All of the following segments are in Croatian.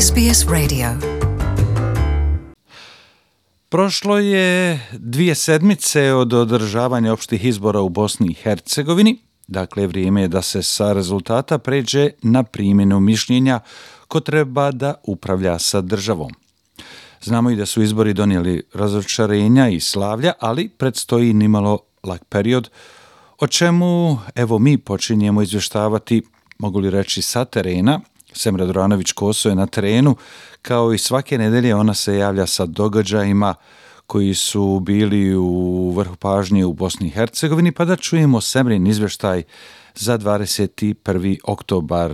SBS Radio. Prošlo je 2 sedmice od održavanja opštih izbora u Bosni i Hercegovini. Dakle, vrijeme je da se sa rezultata pređe na primjenu mišljenja ko treba da upravlja sa državom. Znamo i da su izbori donijeli razočarenja i slavlja, ali predstoji nimalo lak period, o čemu evo mi počinjemo izvještavati, mogu li reći, sa terena. Semra Duranović-Koso je na terenu, kao i svake nedelje ona se javlja sa događajima koji su bili u vrhu pažnje u Bosni i Hercegovini, pa da čujemo Semrin izvještaj za 21. oktobar.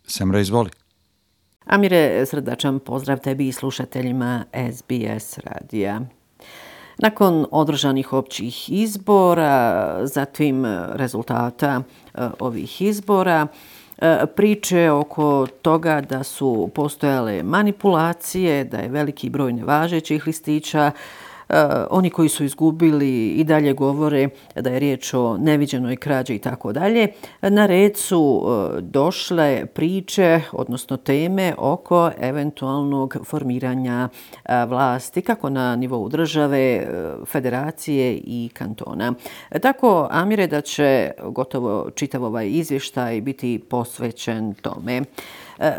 Semra, izvoli. Amire, srdačan pozdrav tebi i slušateljima SBS radija. Nakon održanih općih izbora, zatim rezultata ovih izbora, priče oko toga da su postojale manipulacije, da je veliki broj nevažećih listića, oni koji su izgubili i dalje govore da je riječ o neviđenoj krađi i tako dalje. Na red su došle priče, odnosno teme oko eventualnog formiranja vlasti, kako na nivou države, federacije i kantona. Tako, Amire, da će gotovo čitav ovaj izvještaj biti posvećen tome.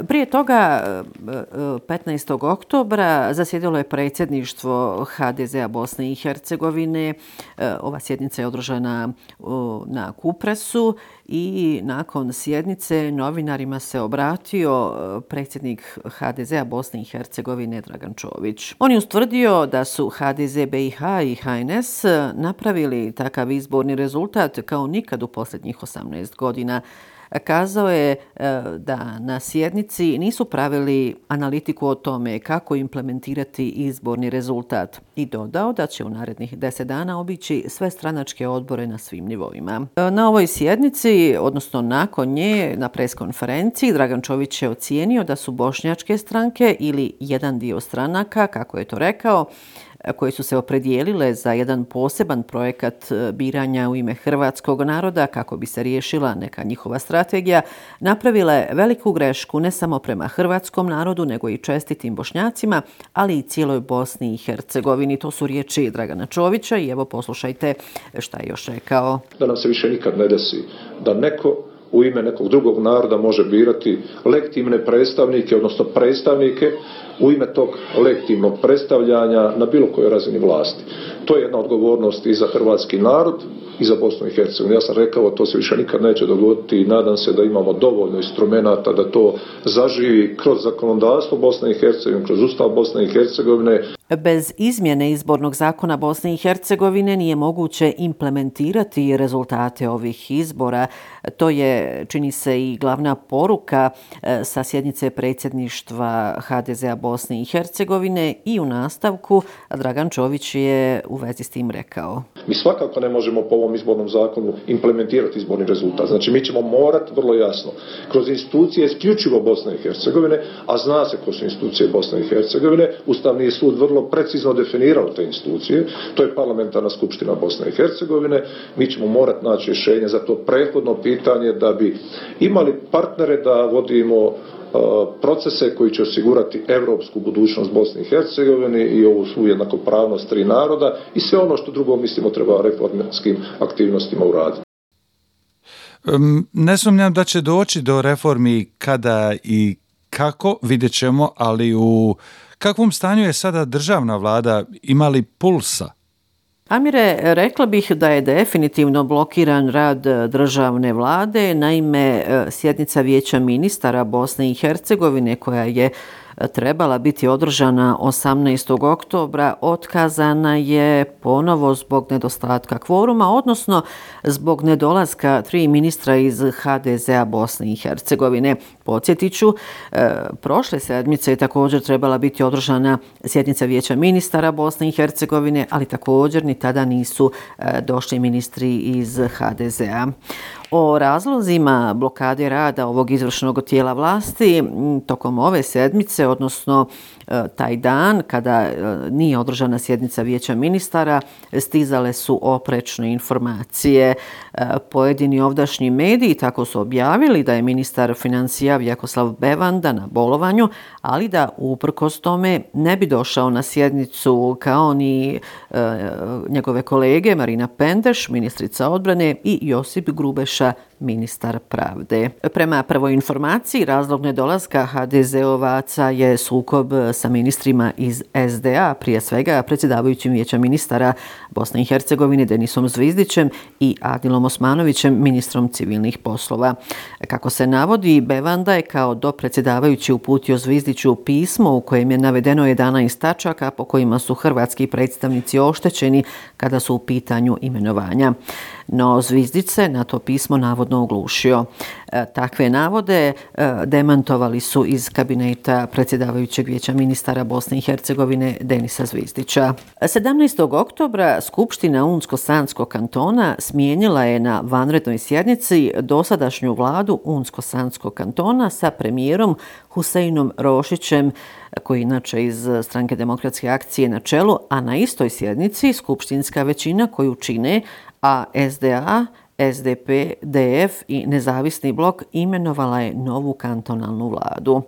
Prije toga, 15. oktobra, zasjedalo je predsjedništvo HDZ-a Bosne i Hercegovine. Ova sjednica je održana na Kupresu i nakon sjednice novinarima se obratio predsjednik HDZ-a Bosne i Hercegovine Dragan Čović. On je ustvrdio da su HDZ BiH i HNS napravili takav izborni rezultat kao nikad u posljednjih 18 godina. Kazao je da na sjednici nisu pravili analitiku o tome kako implementirati izborni rezultat i dodao da će u narednih 10 dana obići sve stranačke odbore na svim nivoima. Na ovoj sjednici, odnosno nakon nje, na preskonferenciji, Dragan Čović je ocijenio da su bošnjačke stranke ili jedan dio stranaka, kako je to rekao, koje su se opredijelile za jedan poseban projekat biranja u ime hrvatskog naroda kako bi se riješila neka njihova strategija, napravile veliku grešku ne samo prema hrvatskom narodu, nego i čestitim Bošnjacima, ali i cijeloj Bosni i Hercegovini. To su riječi Dragana Čovića i evo poslušajte šta je još rekao. Da nam se više nikad ne desi da neko u ime nekog drugog naroda može birati legitimne predstavnike, odnosno predstavnike u ime tog legitimnog predstavljanja na bilo kojoj razini vlasti. To je jedna odgovornost i za hrvatski narod i za Bosnu i Hercegovinu. Ja sam rekao, to se više nikad neće dogoditi i nadam se da imamo dovoljno instrumenata da to zaživi kroz zakonodavstvo Bosne i Hercegovine, kroz Ustav Bosne i Hercegovine. Bez izmjene izbornog zakona Bosne i Hercegovine nije moguće implementirati rezultate ovih izbora. To je, čini se, i glavna poruka sa sjednice predsjedništva HDZ-a Bosne i Hercegovine i u nastavku Dragan Čović je u vezi s tim rekao. Mi svakako ne možemo po ovom izbornom zakonu implementirati izborni rezultat. Znači mi ćemo morati vrlo jasno kroz institucije isključivo Bosne i Hercegovine, a zna se ko su institucije Bosne i Hercegovine, Ustavni sud vrlo precizno definirao te institucije, to je parlamentarna skupština Bosne i Hercegovine, mi ćemo morati naći rješenje za to prethodno pitanje da bi imali partnere da vodimo procese koji će osigurati europsku budućnost Bosne i Hercegovine i ovu svu jednakopravnost tri naroda i sve ono što drugo mislimo treba reformskim aktivnostima uraditi. Ne sumnjam da će doći do reformi kada i kako, vidjet ćemo, ali u kakvom stanju je sada državna vlada, ima li pulsa? Amire, rekla bih da je definitivno blokiran rad državne vlade. Naime, sjednica Vijeća ministara Bosne i Hercegovine koja je trebala biti održana 18. oktobra otkazana je ponovo zbog nedostatka kvoruma, odnosno zbog nedolaska 3 ministra iz HDZ-a Bosne i Hercegovine. Podsjetit ću, prošle sedmice je također trebala biti održana sjednica Vijeća ministara Bosne i Hercegovine, ali također ni tada nisu došli ministri iz HDZ-a. O razlozima blokade rada ovog izvršnog tijela vlasti tokom ove sedmice, odnosno taj dan kada nije održana sjednica Vijeća ministara, stizale su oprečne informacije. Pojedini ovdašnji mediji tako su objavili da je ministar financija Vjakoslav Bevanda na bolovanju, ali da uprkos tome ne bi došao na sjednicu kao ni njegove kolege Marina Pendeš, ministrica odbrane, i Josip Grubeša, ministar pravde. Prema prvoj informaciji, razlog nedolaska HDZ-ovaca je sukob sa ministrima iz SDA, prije svega predsjedavajućim Vijeća ministara Bosne i Hercegovine Denisom Zvizdićem i Adilom Osmanovićem, ministrom civilnih poslova. Kako se navodi, Bevanda je kao dopredsjedavajući uputio Zvizdiću pismo u kojem je navedeno 11 tačaka po kojima su hrvatski predstavnici oštećeni kada su u pitanju imenovanja. No Zvizdić se na to pismo navodno oglušio. Takve navode demantovali su iz kabineta predsjedavajućeg Vijeća ministara Bosne i Hercegovine Denisa Zvizdića. 17. oktobra Skupština Unsko-Sanskog kantona smijenila je na vanrednoj sjednici dosadašnju vladu Unsko-Sanskog kantona sa premijerom Huseinom Rošićem, koji inače iz Stranke demokratske akcije na čelu, a na istoj sjednici skupštinska većina koju čine SDA, SDP, DF i Nezavisni blok imenovala je novu kantonalnu vladu.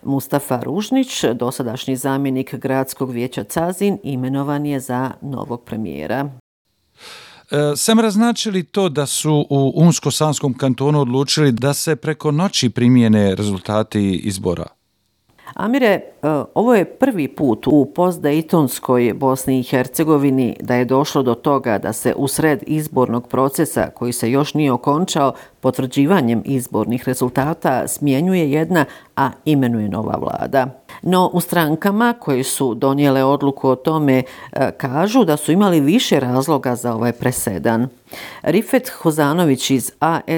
Mustafa Ružnić, dosadašnji zamjenik gradskog vijeća Cazin, imenovan je za novog premijera. Semra, znači li to da su u Unsko-Sanskom kantonu odlučili da se preko noći primijene rezultati izbora? Amire, ovo je prvi put u postdejtonskoj Bosni i Hercegovini da je došlo do toga da se usred izbornog procesa, koji se još nije okončao, potvrđivanjem izbornih rezultata smjenjuje jedna, a imenuje nova vlada. No u strankama koje su donijele odluku o tome kažu da su imali više razloga za ovaj presedan. Rifet Hozanović iz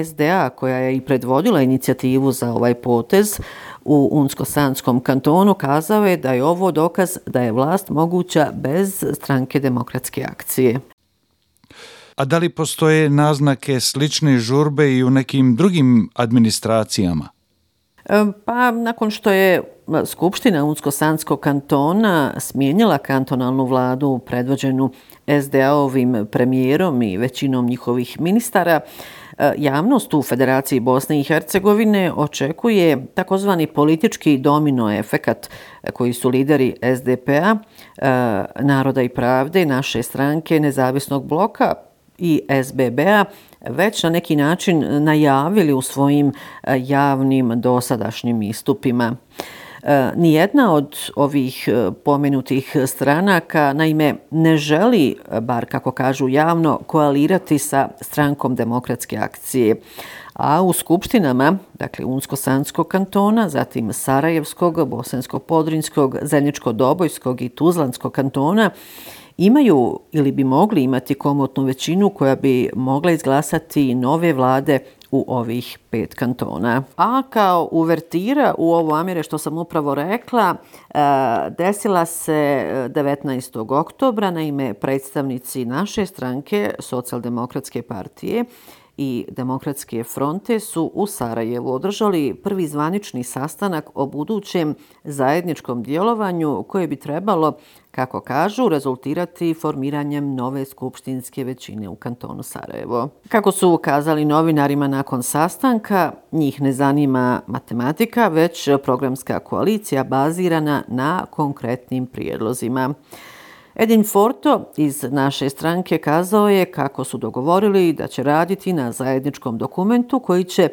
SDA, koja je i predvodila inicijativu za ovaj potez u Unsko-Sanskom kantonu, kazao je da je ovo dokaz da je vlast moguća bez Stranke demokratske akcije. A da li postoje naznake slične žurbe i u nekim drugim administracijama? Pa nakon što je Skupština Unsko-Sanskog kantona smijenila kantonalnu vladu predvođenu SDA-ovim premijerom i većinom njihovih ministara, javnost u Federaciji Bosne i Hercegovine očekuje takozvani politički domino efekat koji su lideri SDP-a, Naroda i pravde, naše stranke, Nezavisnog bloka i SBB-a već na neki način najavili u svojim javnim dosadašnjim istupima. Nijedna od ovih pomenutih stranaka, naime, ne želi, bar kako kažu javno, koalirati sa Strankom demokratske akcije. A u skupštinama, dakle Unsko-Sanskog kantona, zatim Sarajevskog, Bosansko-Podrinjskog, Zeničko-Dobojskog i Tuzlanskog kantona, imaju ili bi mogli imati komotnu većinu koja bi mogla izglasati nove vlade u ovih 5 kantona. A kao uvertira u ovo, Amire, što sam upravo rekla, desila se 19. oktobra, naime predstavnici naše stranke, Socijaldemokratske partije i Demokratske fronte, su u Sarajevu održali prvi zvanični sastanak o budućem zajedničkom djelovanju koje bi trebalo, kako kažu, rezultirati formiranjem nove skupštinske većine u kantonu Sarajevo. Kako su ukazali novinarima nakon sastanka, njih ne zanima matematika, već programska koalicija bazirana na konkretnim prijedlozima. Edin Forto iz naše stranke kazao je kako su dogovorili da će raditi na zajedničkom dokumentu koji će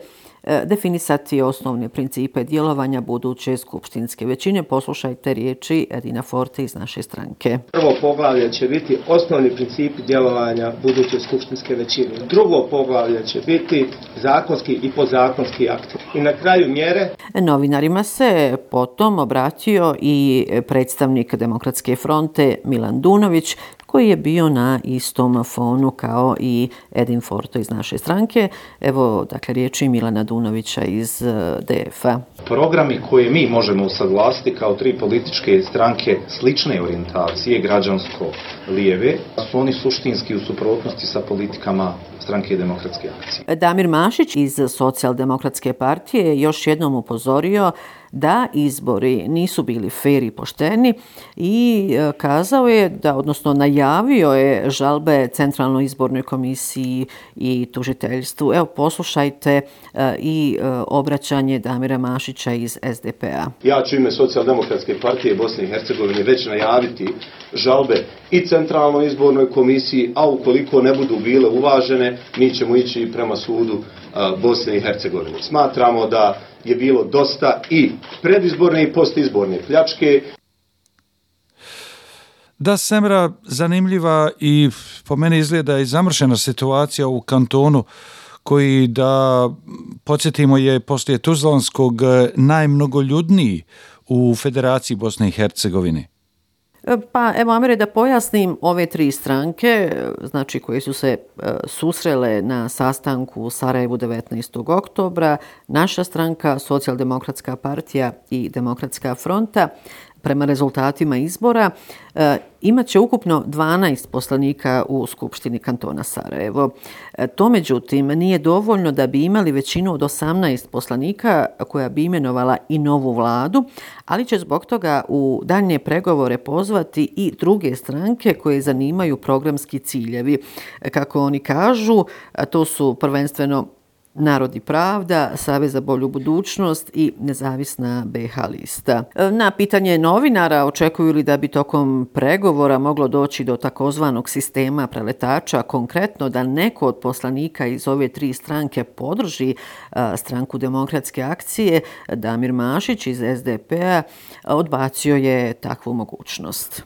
definisati osnovne principe djelovanja buduće skupštinske većine. Poslušajte riječi Edina Forte iz naše stranke. Prvo poglavlje će biti osnovni principi djelovanja buduće skupštinske većine. Drugo poglavlje će biti zakonski i podzakonski akti. I na kraju mjere. Novinarima se potom obratio i predstavnik Demokratske fronte Milan Dunović, koji je bio na istom fonu kao i Edin Forto iz naše stranke. Evo, dakle, riječi Milana Dunovića iz DF-a. Programi koje mi možemo usaglasiti kao tri političke stranke slične orijentacije, građansko-lijeve, su oni suštinski u suprotnosti sa politikama Stranke demokratske akcije. Damir Mašić iz Socijaldemokratske partije je još jednom upozorio da izbori nisu bili fer i pošteni i kazao je da, odnosno najavio je žalbe Centralnoj izbornoj komisiji i tužiteljstvu. Evo, poslušajte i obraćanje Damira Mašića iz SDP-a. Ja ću ime Socijaldemokratske partije Bosne i Hercegovine već najaviti žalbe i Centralnoj izbornoj komisiji, a ukoliko ne budu bile uvažene, mi ćemo ići prema sudu Bosne i Hercegovine. Smatramo da je bilo dosta i predizborne i postizborne pljačke. Da, Semra, zanimljiva i po meni izgleda i zamršena situacija u kantonu koji, da podsjetimo, je poslije Tuzlanskog najmnogoljudniji u Federaciji Bosne i Hercegovine. Pa evo, Amire, da pojasnim, ove tri stranke, znači koje su se susrele na sastanku u Sarajevu 19. oktobra, naša stranka, Socijaldemokratska partija i Demokratska fronta, prema rezultatima izbora, imat će ukupno 12 poslanika u Skupštini kantona Sarajevo. To, međutim, nije dovoljno da bi imali većinu od 18 poslanika koja bi imenovala i novu vladu, ali će zbog toga u daljnje pregovore pozvati i druge stranke koje zanimaju programski ciljevi. Kako oni kažu, to su prvenstveno Narod i pravda, Savez za bolju budućnost i Nezavisna BiH lista. Na pitanje novinara očekuju li da bi tokom pregovora moglo doći do takozvanog sistema preletača, konkretno da neko od poslanika iz ove tri stranke podrži Stranku demokratske akcije, Damir Mašić iz SDP-a odbacio je takvu mogućnost.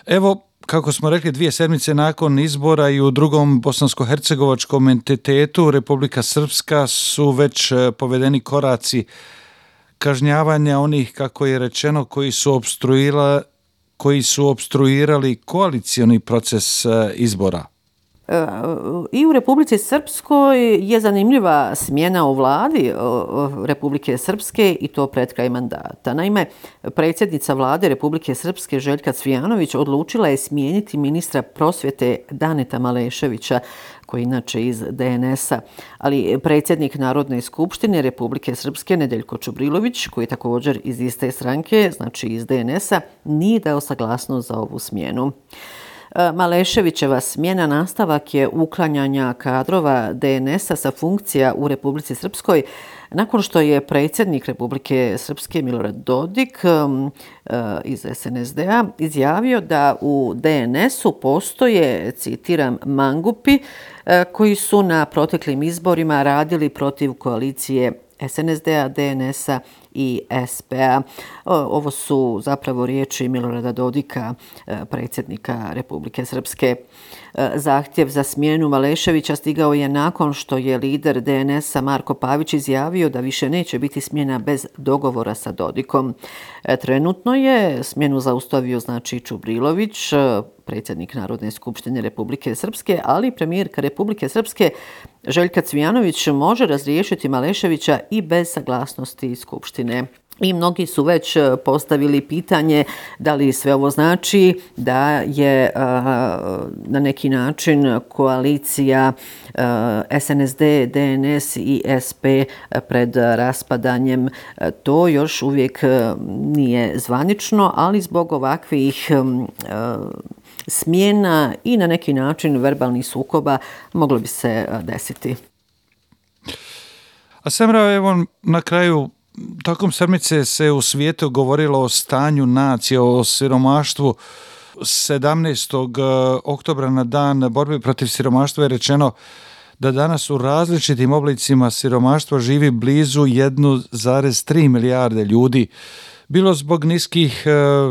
Evo, kako smo rekli, 2 sedmice nakon izbora i u drugom bosansko-hercegovačkom entitetu, Republika Srpska, su već povedeni koraci kažnjavanja onih, kako je rečeno, koji su opstruirali koalicioni proces izbora. I u Republici Srpskoj je zanimljiva smjena u vladi Republike Srpske i to pred kraj mandata. Naime, predsjednica vlade Republike Srpske Željka Cvijanović odlučila je smijeniti ministra prosvjete Daneta Maleševića, koji je inače iz DNS-a, ali predsjednik Narodne skupštine Republike Srpske Nedeljko Čubrilović, koji je također iz iste stranke, znači iz DNS-a, nije dao saglasnost za ovu smjenu. Maleševićeva smjena nastavak je uklanjanja kadrova DNS-a sa funkcija u Republici Srpskoj nakon što je predsjednik Republike Srpske Milorad Dodik iz SNSD-a izjavio da u DNS-u postoje, citiram, mangupi koji su na proteklim izborima radili protiv koalicije SNSD-a, DNS-a i SP-a. Ovo su zapravo riječi Milorada Dodika, predsjednika Republike Srpske. Zahtjev za smjenu Maleševića stigao je nakon što je lider DNS-a Marko Pavić izjavio da više neće biti smjena bez dogovora sa Dodikom. Trenutno je smjenu zaustavio, znači, Čubrilović, predsjednik Narodne skupštine Republike Srpske, ali premijerka Republike Srpske Željka Cvijanović može razriješiti Maleševića i bez saglasnosti skupštine. I mnogi su već postavili pitanje da li sve ovo znači da je na neki način koalicija SNSD, DNS i SP pred raspadanjem. To još uvijek nije zvanično, ali zbog ovakvih smjena i na neki način verbalnih sukoba moglo bi se desiti. A Semra, evo na kraju, tokom sedmice se u svijetu govorilo o stanju nacije, o siromaštvu. 17. oktobra na dan borbe protiv siromaštva je rečeno da danas u različitim oblicima siromaštva živi blizu 1,3 milijarde ljudi. Bilo zbog niskih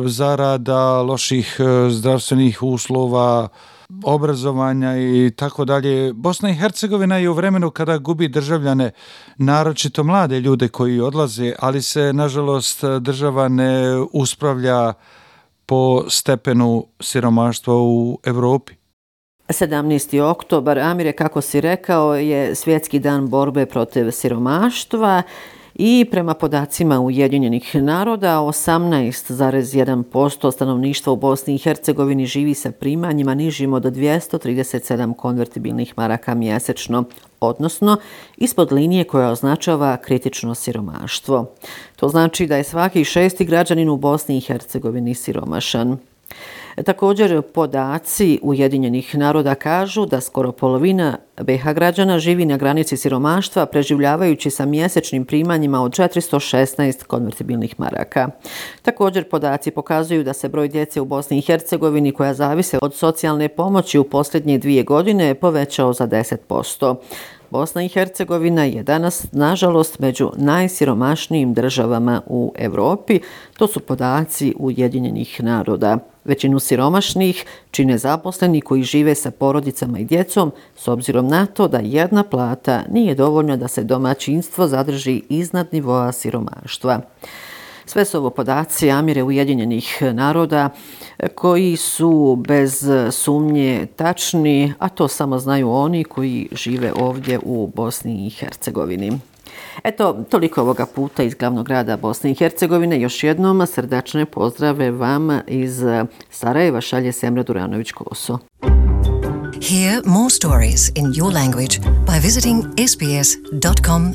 zarada, loših zdravstvenih uslova, obrazovanja i tako dalje. Bosna i Hercegovina je u vremenu kada gubi državljane, naročito mlade ljude koji odlaze, ali se, nažalost, država ne uspravlja po stepenu siromaštva u Europi. 17. oktobar, Amire, kako si rekao, je svjetski dan borbe protiv siromaštva I prema podacima Ujedinjenih naroda, 18,1% stanovništva u Bosni i Hercegovini živi sa primanjima nižim od 237 konvertibilnih maraka mjesečno, odnosno ispod linije koja označava kritično siromaštvo. To znači da je svaki 6. građanin u Bosni i Hercegovini siromašan. Također, podaci Ujedinjenih naroda kažu da skoro polovina BiH građana živi na granici siromaštva, preživljavajući sa mjesečnim primanjima od 416 konvertibilnih maraka. Također, podaci pokazuju da se broj djece u Bosni i Hercegovini koja zavise od socijalne pomoći u posljednje 2 godine povećao za 10%. Bosna i Hercegovina je danas, nažalost, među najsiromašnijim državama u Europi. To su podaci Ujedinjenih naroda. Većinu siromašnih čine zaposleni koji žive sa porodicama i djecom, s obzirom na to da jedna plata nije dovoljna da se domaćinstvo zadrži iznad nivoa siromaštva. Sve su ovo podaci, Amire, Ujedinjenih naroda koji su bez sumnje tačni, a to samo znaju oni koji žive ovdje u Bosni i Hercegovini. Eto, toliko ovoga puta iz glavnog grada Bosne i Hercegovine. Još jednom srdačne pozdrave vam iz Sarajeva šalje Semra Duranović-Koso. Hear more stories in your language by visiting sbs.com.au.